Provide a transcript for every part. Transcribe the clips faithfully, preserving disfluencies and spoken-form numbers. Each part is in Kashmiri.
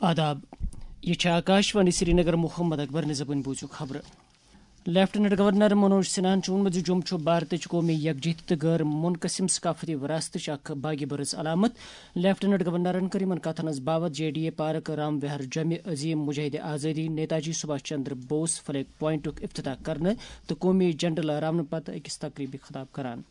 آداب، یہ چھِ آکاش وانی سرینگر۔ محمد اکبر نظبن بوٗزِو خبرٕ۔ لیفٹیننٹ گورنر منوج سنہاہن چھُ ووٚنمُت زِ جوٚم چھُ بھارتٕچ قومی یکجہتی تہٕ غٲر منقسم ثقافتی وراثتٕچ اکھ باغی برٕژ علامت۔ لیفٹیننٹ گورنرن کٔر یِمن کتھن ہٕنٛز باوتھ J D A park Ram Vihar جمہِ عظیم مجاہد آزادی نیتاجی سبھاش چندر بوس فلیگ پوائنٹُک افتتاح کرنہٕ تہٕ قومی جھنڈٕ لہراونہٕ پتہٕ أکِس تقریبی خطاب کران۔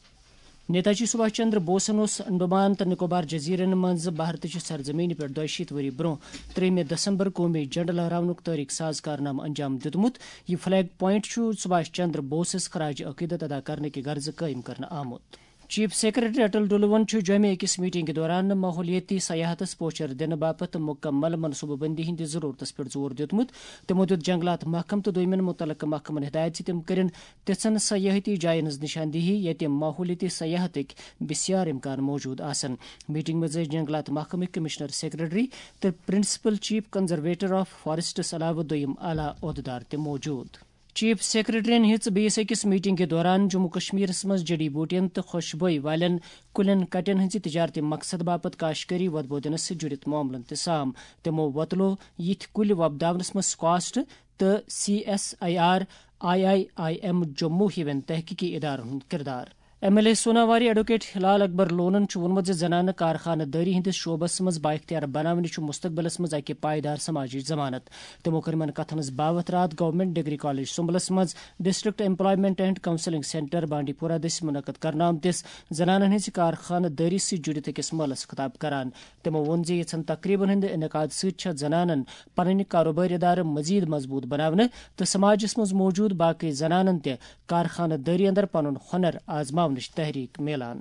نیتاجی سبھاش چندر بوسن اوس انڈمان تہٕ نکوبار جزیرن منٛز بھارتٕچہِ سرزمینہِ پٮ۪ٹھ دۄیہِ شیٖتھ ؤری برٛونٛہہ ترٛیٚیِمہِ دسمبر قومی جھنڈٕ لہراونُک تٲریخ ساز کارنامہٕ انجام دیُتمُت۔ یہِ فلیگ پوائنٹ چھُ سبھاش چندر بوسس خراج عقیدت ادا کرنہٕ کہِ غرضہٕ قٲیِم کرنہٕ آمُت۔ چیف سیکرٹری اٹل ڈلون چھُ جوٚمہِ أکِس میٹنگ کہِ دوران ماحولیٲتی سیاحتس پوچھر دِنہٕ باپتھ مُکمل منصوبہٕ بندی ہٕنٛدِ ضرورتس پٮ۪ٹھ زور دیُتمُت۔ تِمو دیُت جنگلات محکمہٕ تہٕ دوٚیمٮ۪ن مُتعلقہٕ محکمن ہدایت زِ تِم کٔرِن تِژھن سیاحتی جاین ہٕنٛز نشاندہی، ییٚتہِ ماحولیٲتی سیاحتٕکۍ بسیار امکان موجود آسن۔ میٹنگ منٛز ٲسۍ جنگلات محکمٕکۍ کمشنر سیکرٹری تہٕ پرنسپل چیف کنزرویٹر آف فاریسٹس علاوٕ دوٚیِم اعلیٰ عہدٕدار تہِ موجود۔ چیف سیکرٹریَن ہیٚژ بیٚیِس أکِس میٹنگ کہِ دوران جموں کشمیرس منٛز جڑی بوٹیَن تہٕ خوشبوئی والٮ۪ن کُلٮ۪ن کٹٮ۪ن ہٕنٛزِ تجارتی مقصد باپتھ کاشکٲری وۄدبودنس سۭتۍ جُڑِتھ معاملن تہِ سام۔ تِمو وۄتلو یِتھۍ کُلۍ وۄپداونس منٛز سکاسٹ تہٕ C S I R, I I I M Jammu ہِوٮ۪ن تحقیقی ادارن ہُنٛد کردار۔ M L A Sonawari advocate Hilal Akbar لونن چھُ ووٚنمُت زِ زنانہٕ کارخانہٕ دٲری ہٕنٛدِس شعبس منٛز بااختیار بناونہِ چھُ مستقبلس منٛز اکہِ پائیدار سماجٕچ ضمانت۔ تِمو کٔر یِمن کتھن ہٕنٛز باوتھ راتھ گورنمنٹ ڈگری کالج سُمبلس منٛز district employment and counselling centre بانڈی پورہ دٔسۍ منعقد کرنہٕ آمتِس زنانن ہٕنٛزِ کارخانہٕ دٲری سۭتۍ جُڑِتھ أکِس مٲلس خطاب کران۔ تِمو ووٚن زِ یِژھن تقریبن ہٕنٛدِ انعقاد سۭتۍ چھےٚ زنانن پنٕنۍ کاروبٲرۍ ادارٕ مزید مضبوط بناونہٕ تہٕ سماجس منٛز موجود باقی زنانن تہِ کارخانہٕ دٲری اندر پنُن ہُنر آزماونٕچ تحریک میلان۔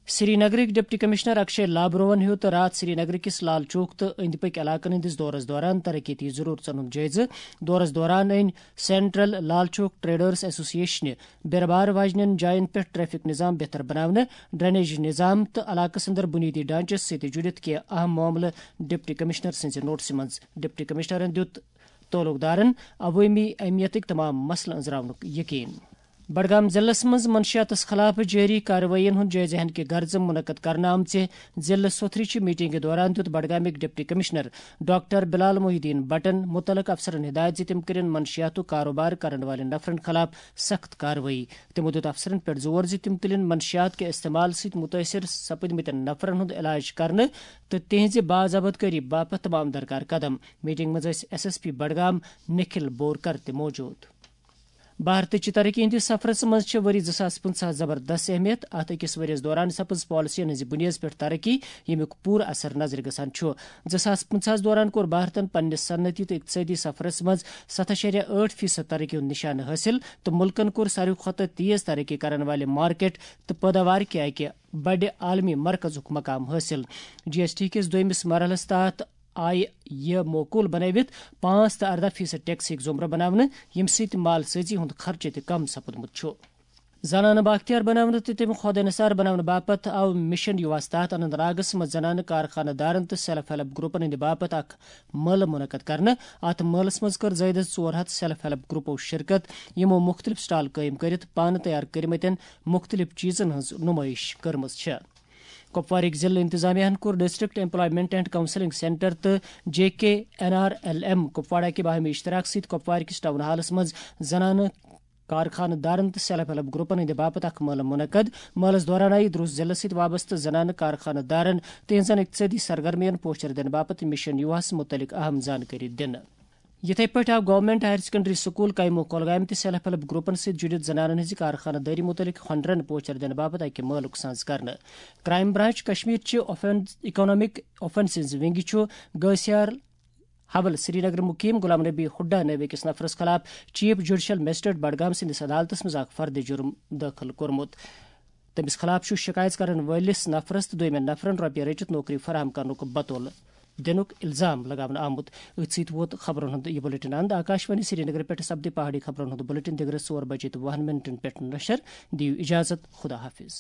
سری نگرٕکۍ ڈپٹی کمشنر اکشے لابروہن ہیوٚت راتھ سری نگر کِس لال چوک تہٕ أنٛدۍ پٔکۍ علاقن ہٕنٛدِس دورس دوران ترقیتی ضرورژن ہُنٛد جٲیزٕ۔ دورس دوران أنۍ سینٹرل لال چوک ٹریڈرز ایسوسی ایشنہِ بیرٕ بار واجنٮ۪ن جاین پٮ۪ٹھ ٹریفک نظام بہتر بناونہٕ، ڈرینیج نظام تہٕ علاقس اندر بنیٲدی ڈھانچس سۭتۍ جُڑِتھ کینٛہہ اہم معاملہٕ ڈپٹی کمشنر سٕنٛزِ نوٹسہِ منٛز۔ ڈپٹی کمشنرن دیُت تعلق دارن عوٲمی اہمیتٕکۍ تمام مسلہٕ أنٛزراونُک یقین۔ بڈگام ضلعس منٛز منشیاتس خلاف جٲری کاروٲیین ہُنٛد جٲیزٕ ہن کہِ غرضہٕ منعقد کرنہٕ آمژِ ضلعہٕ سوتھرٕچہِ میٹنگہِ دوران دیُت بڈگامٕکۍ ڈپٹی کمشنر ڈاکٹر بلال محی الدین بٹن مُتعلق افسرن ہدایت زِ تِم کٔرِن منشیاتُک کاروبار کرن والٮ۪ن نفرن خلاف سخت کاروٲیی۔ تِمو دیُت افسرن پٮ۪ٹھ زور زِ تِم تُلِن منشیات کہِ استعمال سۭتۍ مُتٲثر سپٕدمٕتٮ۪ن نفرن ہُنٛد علاج کرنہٕ تہٕ تِہنٛزِ باضابطگٲری باپتھ تمام درکار قدم۔ میٹنگ منٛز ٲسۍ S S P Budgam Nikhil Borkar تہِ موجود۔ بھارتٕچہِ ترقی ہٕنٛدِس سفرس منٛز چھِ ؤری زٕ ساس پٕنٛژٕہَس زبردست اہمیت۔ اتھ أکِس ؤرِیَس دوران سپٕز پالیسین ہٕنٛزِ بُنیٲدس پٮ۪ٹھ ترقی، ییٚمیُک پوٗرٕ اثر نظرِ گژھان چھُ۔ زٕ ساس پٕنٛژٕہَس دوران کوٚر بھارتن پننِس صنعتی تہٕ اقتصٲدی سفرس منٛز ستھ اَشاریہ ٲٹھ فیصد ترقی ہُنٛد نشانہٕ حٲصِل تہٕ مُلکن کوٚر ساروی کھۄتہٕ تیز ترقی کرن والہِ مارکیٹ تہٕ پٲداوار کہِ اکہِ بڑِ عالمی مرکزُک مقام حٲصِل۔ جی ایس ٹی کِس دوٚیمِس مرحلَس تحت آیہِ یہِ موقول بنٲوِتھ پانٛژھ تہٕ اَرداہ فیصد ٹیکسٕکۍ زمرٕ بناونہٕ، ییٚمہِ سۭتۍ مال سٲزی ہُنٛد خرچہٕ تہِ کم سپُدمُت چھُ۔ زنانہٕ بااختیار بناونہٕ تہٕ تِم خۄد انحصار بناونہٕ باپتھ آو مشن یوہاہس تحت اننت ناگس منٛز زنانہٕ کارخانہٕ دارن تہٕ سیلف ہیلپ گروپن ہٕنٛدِ باپتھ اکھ مٲلہٕ منعقد کرنہٕ۔ اتھ مٲلس منٛز کٔر زٲیدٕ ژور ہتھ سیلف ہیلپ گروپو شرکت، یِمو مُختٔلِف سٹال قٲیِم کٔرِتھ پانہٕ تیار کٔرمٕتٮ۪ن مُختٔلِف چیٖزن ہٕنٛز نُمٲیِش کٔرمٕژ چھےٚ۔ کپوارٕکۍ ضلعہٕ انتظامیہ ہن کوٚر district employment and counselling centre تہٕ J K N R L M Kupwara کہِ باہمی اشتراک سۭتۍ کپوارٕکِس ٹاؤن ہالس منٛز زنانہٕ کارخانہٕ دارن تہٕ سیلف ہیلپ گروپن ہٕنٛدِ باپتھ اکھ مٲلہٕ منعقد۔ مٲلس دوران آیہِ درست ضلعس سۭتۍ وابستہٕ زنانہٕ کارخانہٕ دارن تہنٛزن اقتصٲدی سرگرمین پوچھر دِنہٕ باپتھ مشن یوہس مُتعلق اہم زانکٲری دِنہٕ۔ یِتھے پٲٹھۍ آو government higher secondary school chemo کۄلگامہِ تہٕ سیلف ہیلپ گروپن سۭتۍ جُڑِتھ زنانن ہٕنٛزِ کارخانہٕ دٲری مُتعلق ہۄنرن پوچھر دِنہٕ باپتھ اکہِ مٲلُک سانز کرنہٕ۔ کرائم برانچ کشمیر چہِ اوفین-، اکنامک اوفینسز ونگہِ چھُ گٲسیار حبل سرینگر مقیم غلام نبی ہڈا نٲوۍ أکِس نفرس خلاف چیف جوڈیشل مجسٹریٹ بڈگام سٕنٛدِس عدالتس منٛز اکھ فرد جرم دٲخل کوٚرمُت۔ تٔمِس خلاف چھُ شکایت کرن وٲلِس نفرس تہٕ دوٚیمٮ۪ن نفرن رۄپیہِ رٔٹِتھ نوکری فراہم کرنُک بطول دِنُک الزام لگاونہٕ آمُت۔ أتھۍ سۭتۍ ووت خبرن ہُنٛد یہِ بُلٹن اند۔ آکاشوانی سرینگر پٮ۪ٹھ سپدِ پہاڑی خبرن ہُنٛد بُلٹن دِگرس ژور بجے تہٕ وُہن منٹن پٮ۪ٹھ نشر۔ دِیِو اجازت، خدا حافظ۔